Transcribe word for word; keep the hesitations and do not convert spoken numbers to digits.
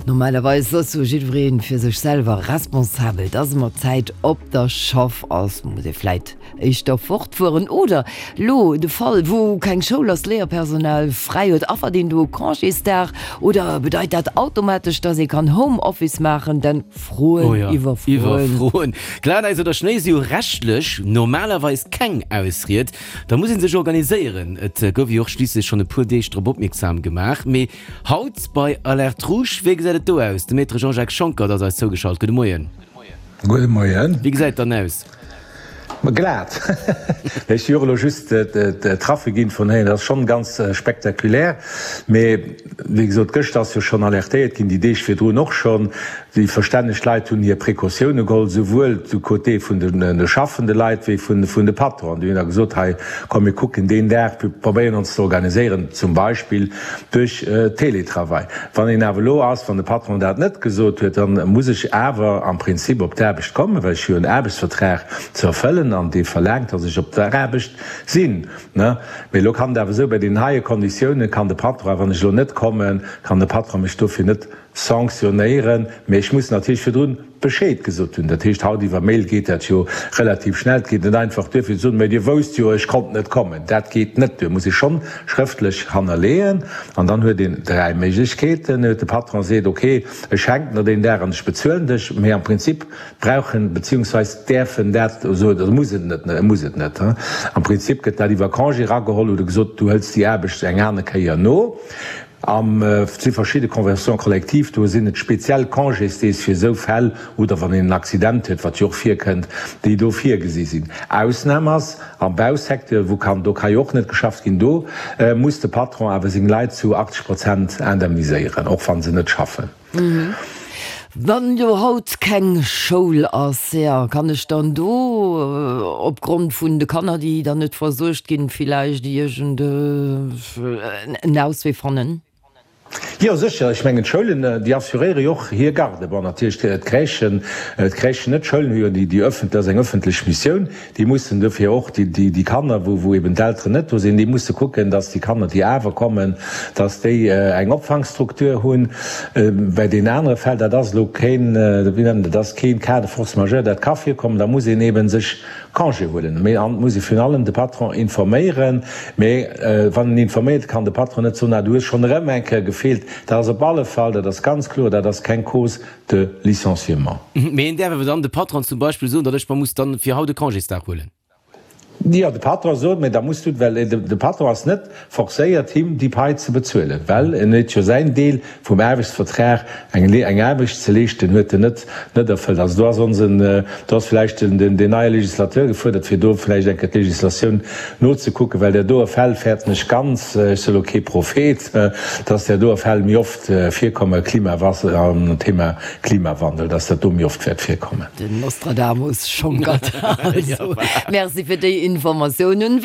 Normalerweis ass jo jiddweree fir sech selwer responsabel. Dass ee mat Zäit op der Schaff ass, muss ee vläit éischter fortfueren. Oder lo de Fall, wou keng Schoul ass, Léierpersonal fräi huet, affert een do e Congésdag? Oder bedeit dat automatesch, dass ee kann Homeoffice maachen? Denn Froen Oh ja, iwwer Froen. Iwwer Froen. Glatäis oder Schnéi si jo rechtlech normalerweis keng Ausried. Da muss ee sech organiséieren. Et gouf jo och schliisslech schonn e puer Deeg drop opmierksam gemaach. Mee haut bei Alerte Rouge, wéi gesäit et do aus? De Maître Jean-Jacques Schonckert ass eis zougeschalt. Gudde Moien. Gudde Moien. Wéi gesäit et dann aus? Ma glat. Ech si och elo just d'Trafic-Info héieren. Dat ass schonn ganz spektakulär. Mee wéi gesot, gëschter ass jo schonn alertéiert ginn, déi Deeg virdrun och schonn. Déi verstänneg Leit hunn hir Precautioune geholl, souwuel du côté vun de schaffende Leit wéi vun de Patronen. Déi hunn da gesot, hei komm mir kucken deen Dag, mir probéieren ons ze organiséieren, zum Beispill duerch Teletravail. Wann een awer elo ass, wann de Patron dat net gesot huet, da muss ech awer am Prinzip op d'Aarbecht kommen, well ech hu jo en Aarbechtsvertrag ze erfëllen an dee verlaangt, datt ech op der Aarbecht sinn. Mee elo kann et awer esou, bei deenen heie Konditioune kann de Patron, wann ech elo net kommen, kann de Patron mech dofir net sanctionnéieren, mee ech muss natierlech virdrun Bescheed gesot hunn. Dat heescht, haut iwwer Mail geet dat jo relativ schnell. Et geet net einfach duer fir ze soen, Mä Dir wousst jo, ech konnt net kommen. Dat geet net duer, muss ee schonn schrëftlech hannerleeën. An dann huet een dräi Méiglechkeeten. De Patron seet, Ok, ech schenken der deen Dag an ech bezuelen dech, mee am Prinzip brauch en, beziehungsweis däerf en dat esou, oder muss et net, e muss et net. Am Prinzip gëtt dat iwwer Congé erageholl oder gesot, du hëls déi Aarbecht eng aner Kéier no. Am et si verschidde Conventions collectives, do sinn et speziell Congésdeeg fir esou Fäll oder wann een en Accident huet, wat jo och virkënnt, déi do virgesi sinn. Ausnam ass am Bausecteur, wou kann, do ka jo och net geschafft ginn, do muss de Patron awer seng Leit zu achtzeg Prozent indemniséieren, och wa se net schaffen. Wann jo haut keng Schoul ass, jo, kann ech dann do opgrond vun de Kanner, déi dann net versuergt ginn, villäicht iergend en Auswee fannen? Jo, sécher. Ech mengen, d'Schoulen, déi assuréiere jo och hir Garde. Bon, natierlech d'Crèchen, d'Crèchen net. D'Schoulen hu jo déi, déi ëffentlech, dat ass eng ëffentlech Missioun. Déi mussen dofir och déi, déi, déi Kanner, wou, wou eben d'Elteren net do sinn, déi musse kucken, dass déi Kanner, déi awer kommen, dass déi eng Opfangstruktur hunn. Bei deenen anere Fäll, dat ass elo keen, wéi nennt een dat, ass keen Cas de force majeure, dat ka virkommen, da muss een eebe sech Congé huelen. Mee an et muss ee virun allem de Patron informéieren. Mee wann en informéiert, kann de Patron net soen, ah du hues schonn erëm eng Kéier gefeelt. Dat ass op alle Fall, dat ass ganz kloer, dat ass keng Cause de licenciement. Mee een däerf awer dann de Patron zum Beispill soen, datt ech mer muss dann fir haut e Congésdag huelen. Jo, de Patron sot, mä da muss du, well de Patron ass net forcéiert him déi Pai ze bezuelen, well en huet jo säin Deel vum Aarbechtsvertrag, eng eng Aarbecht ze leeschten, huet en net net erfëllt. Also do ass onsen, do ass vläicht den den den neie Législateur gefuerdert, fir do vläicht eng Kéier d'Législatioun nozekucken, well där doe Fäll fäerten ech ganz, ech si elo kee Prophet, dass där doe Fäll méi oft virkommen, Klimawass am Thema Klimawandel, dass dat do méi oft wäert virkommen. Den Nostradamus schonkert also. Merci fir déi Informatiounen.